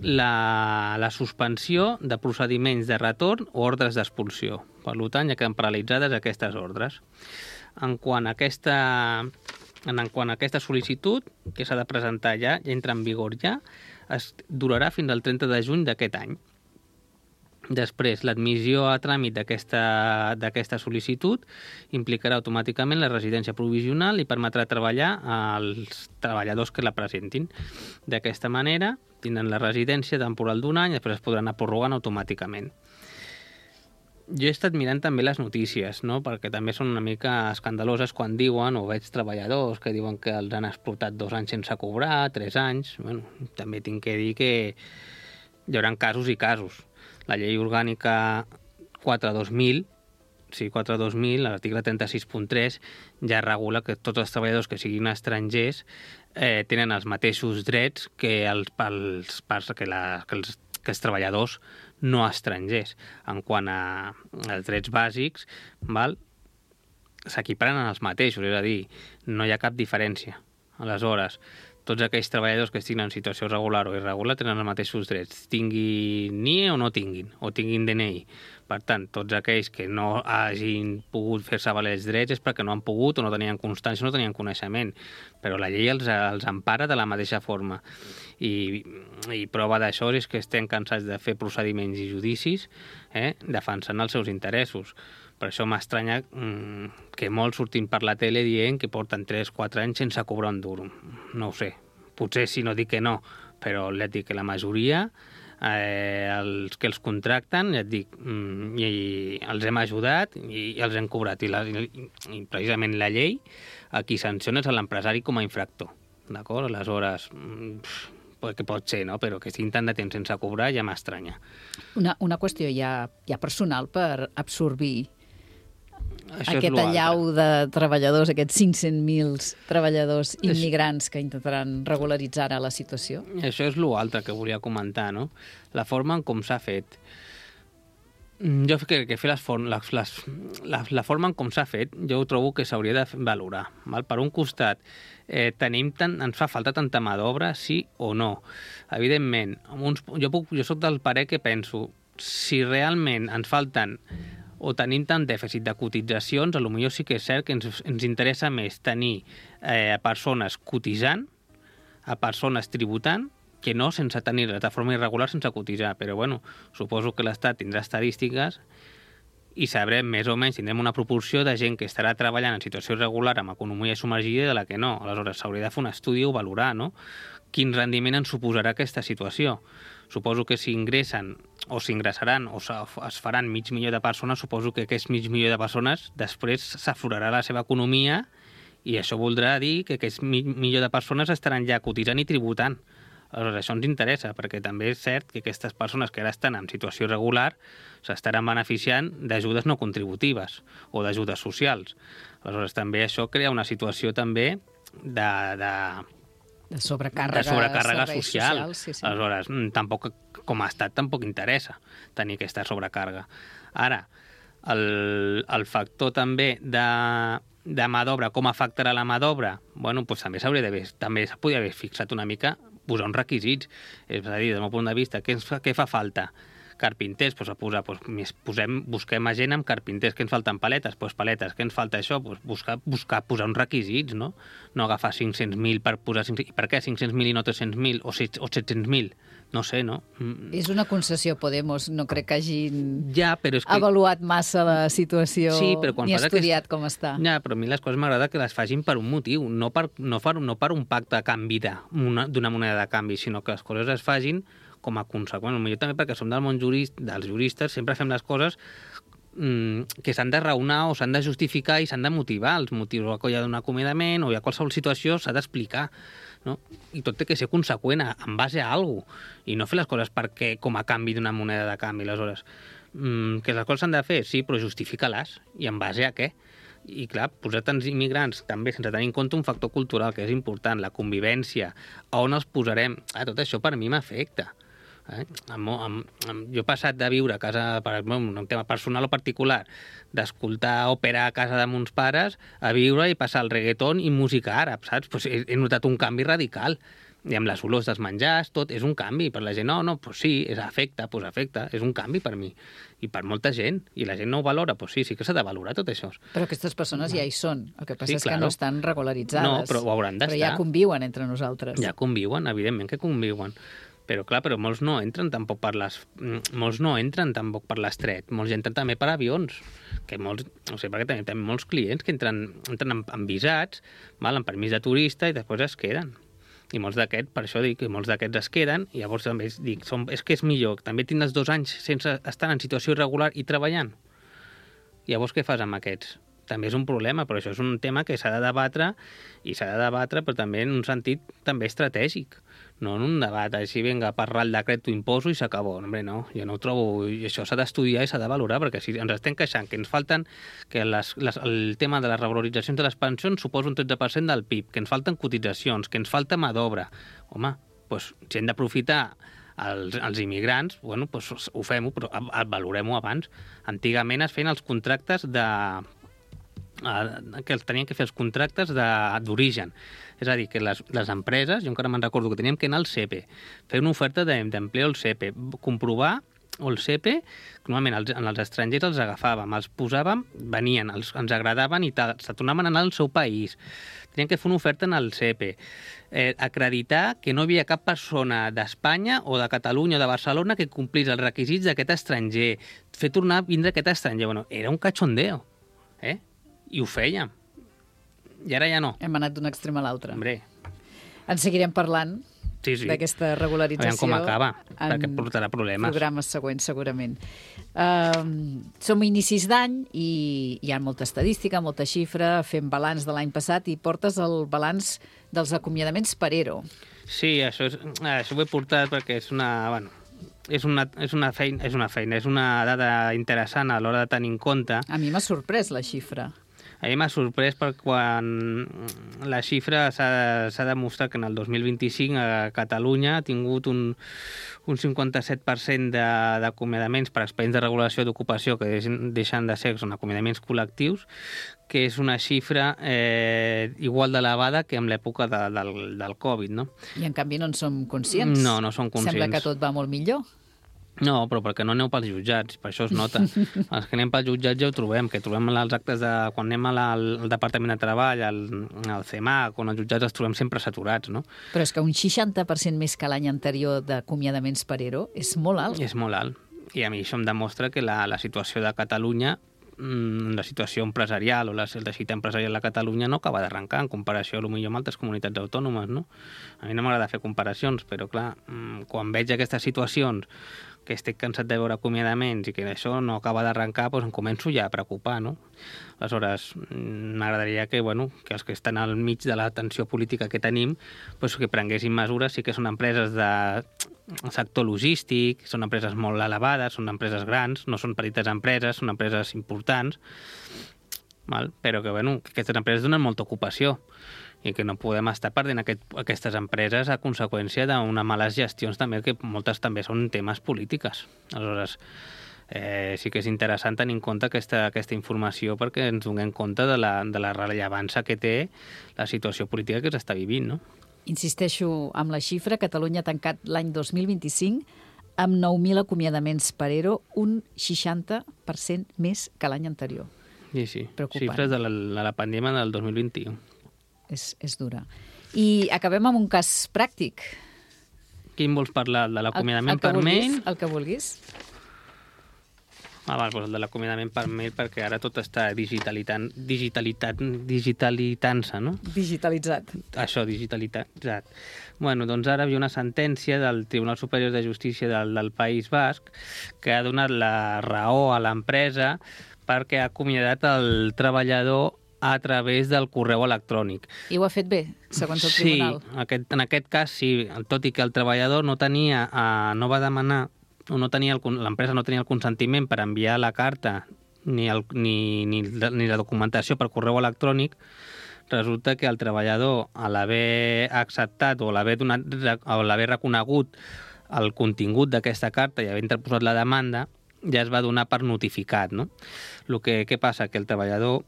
la, la suspensió de procediments de retorn o ordres d'expulsió. Per tant, ja queden paralitzades aquestes ordres. En quant a aquesta, en quant a aquesta sol·licitud, que s'ha de presentar ja, ja entra en vigor ja, es durarà fins al trenta de juny d'aquest any. Després, l'admissió a tràmit d'aquesta sol·licitud implicarà automàticament la residència provisional i permetrà treballar als treballadors que la presentin. D'aquesta manera, tindran la residència temporal d'un any i després es podran anar prorrogant automàticament. Jo he estat mirant també les notícies, no? Perquè també són una mica escandaloses quan diuen, o veig treballadors que diuen que els han explotat dos anys sense cobrar, tres anys. Bueno, també tinc que dir que hi haurà casos i casos. La llei orgànica quatre dos mil, sí, quatre dos mil, l'article trenta-sis punt tres, ja regula que tots els treballadors que siguin estrangers eh, tenen els mateixos drets que els, pels, pels, que, la, que, els, que els treballadors no estrangers. En quant a, als drets bàsics, val, s'equiparen els mateixos, és a dir, no hi ha cap diferència. Aleshores, tots aquells treballadors que estiguin en situació regular o irregular tenen els mateixos drets, tinguin N I E o no tinguin, o tinguin D N I. Per tant, tots aquells que no hagin pogut fer-se valer els drets és perquè no han pogut o no tenien constància o no tenien coneixement. Però la llei els, els empara de la mateixa forma. I, i prova d'això és que estem cansats de fer procediments i judicis eh, defensant els seus interessos. Per això m'estranya mmm, que molts surtin per la tele dient que porten tres quatre anys sense cobrar un duro. No ho sé. Potser si no dic que no, però et dic que la majoria, eh, els que els contracten, ja et dic, mm, i, i els hem ajudat i, i els hem cobrat. I, la, i, I precisament la llei a qui sanciona és a l'empresari com a infractor. D'acord? Aleshores, mm, que pot ser, no? Però que estiguin tant de temps sense cobrar ja m'estranya. Una, una qüestió ja, ja personal per absorbir Això aquest allau de treballadors, aquests cinc-cents mil treballadors immigrants que intentaran regularitzar ara la situació? Això és l'altre que volia comentar, no? La forma en com s'ha fet. Jo crec que fer les form, les, les, la, la forma en com s'ha fet, jo ho trobo que s'hauria de valorar. Val? Per un costat, eh, tenim tant, ens fa falta tanta mà d'obra, sí o no? Evidentment, uns, jo, puc, jo soc del parer que penso, si realment ens falten o tenim tant dèficit de cotitzacions, potser sí que és cert que ens, ens interessa més tenir eh, persones cotitzant, a persones tributant, que no sense tenir-les de forma irregular sense cotitzar. Però bueno, suposo que l'Estat tindrà estadístiques i sabrem més o menys, tindrem una proporció de gent que estarà treballant en situació irregular amb economia submergida i de la que no. Aleshores, s'hauria de fer un estudi o valorar, no? Quin rendiment ens suposarà aquesta situació. Suposo que si ingressen o s'ingressaran o es faran mig milió de persones, suposo que aquest mig milió de persones després s'aflorarà la seva economia i això voldrà dir que aquest mig milió de persones estaran ja cotitzant i tributant. Aleshores, això ens interessa, perquè també és cert que aquestes persones que ara estan en situació irregular s'estaran beneficiant d'ajudes no contributives o d'ajudes socials. Aleshores, també això crea una situació també de... de De sobrecàrrega, de sobrecàrrega social. social sí, sí. Aleshores, tampoc, com a estat tampoc interessa tenir aquesta sobrecàrrega. Ara, el, el factor també de, de mà d'obra, com afectarà la mà d'obra? Bueno, doncs també s'hauria d'haver, també s'ha haver fixat una mica, posar uns requisits. És a dir, del meu punt de vista, què, ens fa, què fa falta? carpinters, doncs a posar, doncs, posem, busquem a gent amb carpinters, que ens falten paletes, doncs paletes, que ens falta això, doncs buscar, buscar posar uns requisits, no? No agafar cinc-cents mil per posar... I per què cinc-cents mil i no tres-cents mil o set-cents mil? No sé, no? Mm. És una concessió Podemos, no crec que hagin ja, però és que... avaluat massa la situació sí, però quan ni estudiat aquest... com està. Ja, però a mi les coses m'agrada que les facin per un motiu, no per, no per, no per un pacte de canvi d'una moneda de canvi, sinó que les coses es facin com a conseqüència. Potser també perquè som del món jurist, dels juristes, sempre fem les coses mmm, que s'han de raonar o s'han de justificar i s'han de motivar. Els motius o hi ha d'un acomiadament o hi ha qualsevol situació s'ha d'explicar. No? I tot té que ser conseqüent en base a alguna cosa i no fer les coses perquè com a canvi d'una moneda de canvi. Aleshores, mmm, que les coses s'han de fer, sí, però justifica-les. I en base a què? I clar, posar tants immigrants també sense tenir en compte un factor cultural que és important, la convivència, a on els posarem, ah, tot això per mi m'afecta. Eh? Amb, amb, amb, jo he passat de viure a casa, per un tema personal o particular, d'escoltar òpera a casa de mons pares, a viure i passar el reggaeton i música àrab, saps? Pues he, he notat un canvi radical. I amb les olors dels menjars, tot és un canvi. Per la gent, no, no, pues sí, és afecta, pues afecta, és un canvi per mi. I per molta gent. I la gent no ho valora, pues sí, sí que s'ha de valorar tot això. Però aquestes persones ja hi són. El que passa sí, és claro. que no estan regularitzades. No, però ho hauran d'estar. Però ja conviuen entre nosaltres. Ja conviuen, evidentment que conviuen. Però clar, però molts no entren tampoc per les... Molts no entren tampoc per l'estret. Molts entren també per avions. Que molts, no sé, perquè també tenim molts clients que entren, entren amb, amb visats, val, amb permís de turista i després es queden. I molts d'aquests, per això dic que molts d'aquests es queden, i llavors també dic, som, és que és millor, també tindràs dos anys sense estar en situació irregular i treballant. I llavors què fas amb aquests? També és un problema, però això és un tema que s'ha de debatre, i s'ha de debatre, però també en un sentit també estratègic. No en un debat així, vinga, parlar el decret, t'ho imposo i s'acabó. Hombre, no, jo no ho trobo. I això s'ha d'estudiar i s'ha de valorar, perquè si ens estem queixant que ens falten, que les, les, el tema de les revaloritzacions de les pensions suposa un tretze per cent del P I B, que ens falten cotitzacions, que ens falta mà d'obra. Home, doncs, si hem d'aprofitar els, els immigrants, bueno, doncs ho fem-ho, però valorem-ho abans. Antigament es feien els contractes de... que tenien que fer els contractes d'origen. És a dir, que les, les empreses, jo encara me'n recordo que teníem que anar al C E P E, fer una oferta d'empleo al C E P E, comprovar o el C E P E, normalment els, en els estrangers els agafàvem, els posàvem, venien, els, ens agradaven i tal, se tornaven a anar al seu país. Tenien que fer una oferta en el C E P E. Eh, acreditar que no hi havia cap persona d'Espanya o de Catalunya o de Barcelona que complís els requisits d'aquest estranger, fer tornar a vindre aquest estranger. Bueno, era un cachondeo, eh? I ho fèiem. I ara ja no. Hem anat d'un extrem a l'altre. Hombre. En seguirem parlant sí, sí. d'aquesta regularització. Aviam com acaba, perquè portarà problemes. Programes següents, segurament. Uh, som a inicis d'any i hi ha molta estadística, molta xifra, fem balanç de l'any passat i portes el balanç dels acomiadaments per ERO. Sí, això, és, això ho he portat perquè és una... Bueno, és una, és una feina, és una feina, és una dada interessant a l'hora de tenir en compte. A mi m'ha sorprès la xifra. A mi m'ha sorprès perquè quan la xifra s'ha demostrat que en el dos mil vint-i-cinc a Catalunya ha tingut un, un cinquanta-set per cent d'acomiadaments per expedients de regulació d'ocupació que deixen de ser, són acomiadaments col·lectius, que és una xifra eh, igual d'elevada que en l'època de, del, del Covid, no? I en canvi no en som conscients. No, no som conscients. Sembla que tot va molt millor. No, però perquè no aneu pels jutjats, per això es nota. Els que anem pels jutjats ja ho trobem, que trobem els actes de... Quan anem al, al Departament de Treball, al, al C E M A C, on els jutjats els trobem sempre saturats, no? Però és que un seixanta per cent més que l'any anterior d'acomiadaments per ERO és molt alt. És molt alt. I a mi això em demostra que la, la situació de Catalunya, la situació empresarial o la, el teixit empresarial de Catalunya no acaba d'arrencar en comparació a lo millor amb altres comunitats autònomes, no? A mi no m'agrada fer comparacions, però clar, quan veig aquestes situacions que estic cansat de veure acomiadaments i que això no acaba d'arrencar, doncs em començo ja a preocupar, no? Aleshores, m'agradaria que, bueno, que els que estan al mig de la tensió política que tenim, doncs que prenguessin mesures. Sí que són empreses de sector logístic, són empreses molt elevades, són empreses grans, no són petites empreses, són empreses importants, val? Però que, bueno, que aquestes empreses donen molta ocupació i que no podem estar perdent aquest, aquestes empreses a conseqüència d'unes males gestions també, que moltes també són temes polítiques. Aleshores, eh, sí que és interessant tenir en compte aquesta, aquesta informació perquè ens donem compte de la, de la rellevància que té la situació política que s'està vivint, no? Insisteixo amb la xifra, Catalunya ha tancat l'any dos mil vint-i-cinc amb nou mil acomiadaments per ERO, un seixanta per cent més que l'any anterior. Sí, sí. Preocupant. Xifres de la, de la pandèmia del dos mil vint-i-u. És, és dura. I acabem amb un cas pràctic. Quin vols parlar? El de l'acomiadament El- el que per vulguis, mail? El que vulguis. Ah, val, doncs el de l'acomiadament per mail, perquè ara tot està digitalitant, digitalitat, digitalitant-se, no? Digitalitzat. Això, digitalitzat. Bueno, doncs ara hi ha una sentència del Tribunal Superior de Justícia del, del País Basc que ha donat la raó a l'empresa perquè ha acomiadat el treballador a través del correu electrònic. I ho ha fet bé, segons el Sí, tribunal. aquest, en aquest cas sí, tot i que el treballador no tenia, eh, no va demanar, o no tenia el, l'empresa no tenia el consentiment per enviar la carta ni, el, ni, ni, ni la documentació per correu electrònic, resulta que el treballador, a l'haver acceptat o l'haver donat, o l'haver reconegut el contingut d'aquesta carta i haver interposat la demanda, ja es va donar per notificat, no? El que, què passa? Que el treballador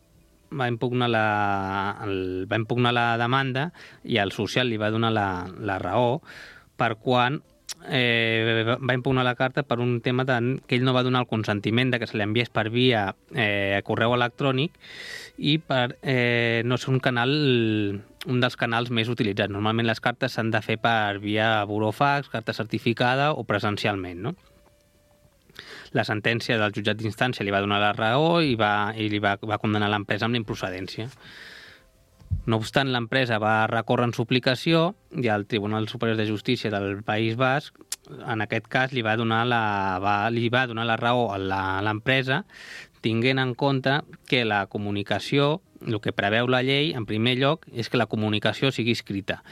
va impugnar la, el, va impugnar la demanda i el social li va donar la, la raó per quan eh, va impugnar la carta per un tema de, que ell no va donar el consentiment de que se li enviés per via eh, correu electrònic i per eh, no ser un canal, un dels canals més utilitzats. Normalment les cartes s'han de fer per via burofax, carta certificada o presencialment, no? La sentència del jutjat d'instància li va donar la raó i, va, i li va, va condenar l'empresa amb la improcedència. No obstant, l'empresa va recórrer en suplicació i el Tribunal Superior de Justícia del País Basc, en aquest cas, li va donar la, va, li va donar la raó a la, a l'empresa, tinguent en compte que la comunicació, el que preveu la llei, en primer lloc, és que la comunicació sigui escrita.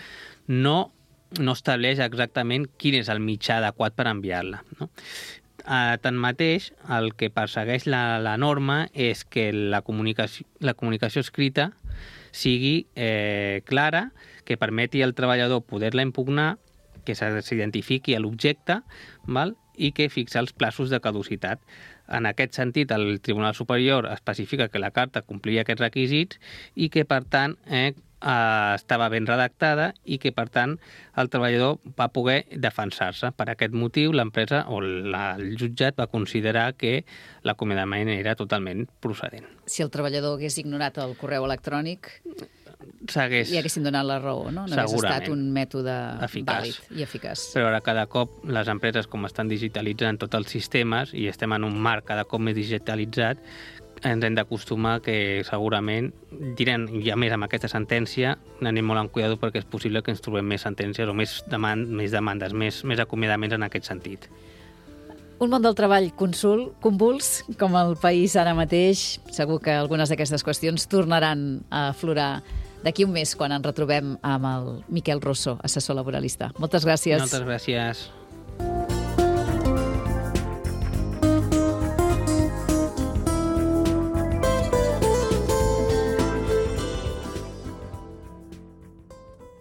No, no estableix exactament quin és el mitjà adequat per enviar-la, no? Uh, tanmateix, el que persegueix la, la norma és que la comunicació, la comunicació escrita sigui eh, clara, que permeti al treballador poder-la impugnar, que s'identifiqui l'objecte, val? I que fixa els plaços de caducitat. En aquest sentit, el Tribunal Superior especifica que la carta complia aquests requisits i que, per tant, eh, Uh, estava ben redactada i que, per tant, el treballador va poder defensar-se. Per aquest motiu, l'empresa o la, el jutjat va considerar que l'acomiadament era totalment procedent. Si el treballador hagués ignorat el correu electrònic, S'hagués... li haguessin donat la raó, no? No hagués estat un mètode eficaç. vàlid i eficaç. Però ara cada cop les empreses, com estan digitalitzant tots els sistemes i estem en un marc cada cop més digitalitzat, ens hem d'acostumar que segurament direm, i a més amb aquesta sentència anem molt en cuidado perquè és possible que ens trobem més sentències o més, demand, més demandes, més, més acomiadaments en aquest sentit. Un món del treball consul, convuls, com el país ara mateix. Segur que algunes d'aquestes qüestions tornaran a aflorar d'aquí un mes, quan ens retrobem amb el Miquel Rosso, assessor laboralista. Moltes gràcies. Moltes gràcies.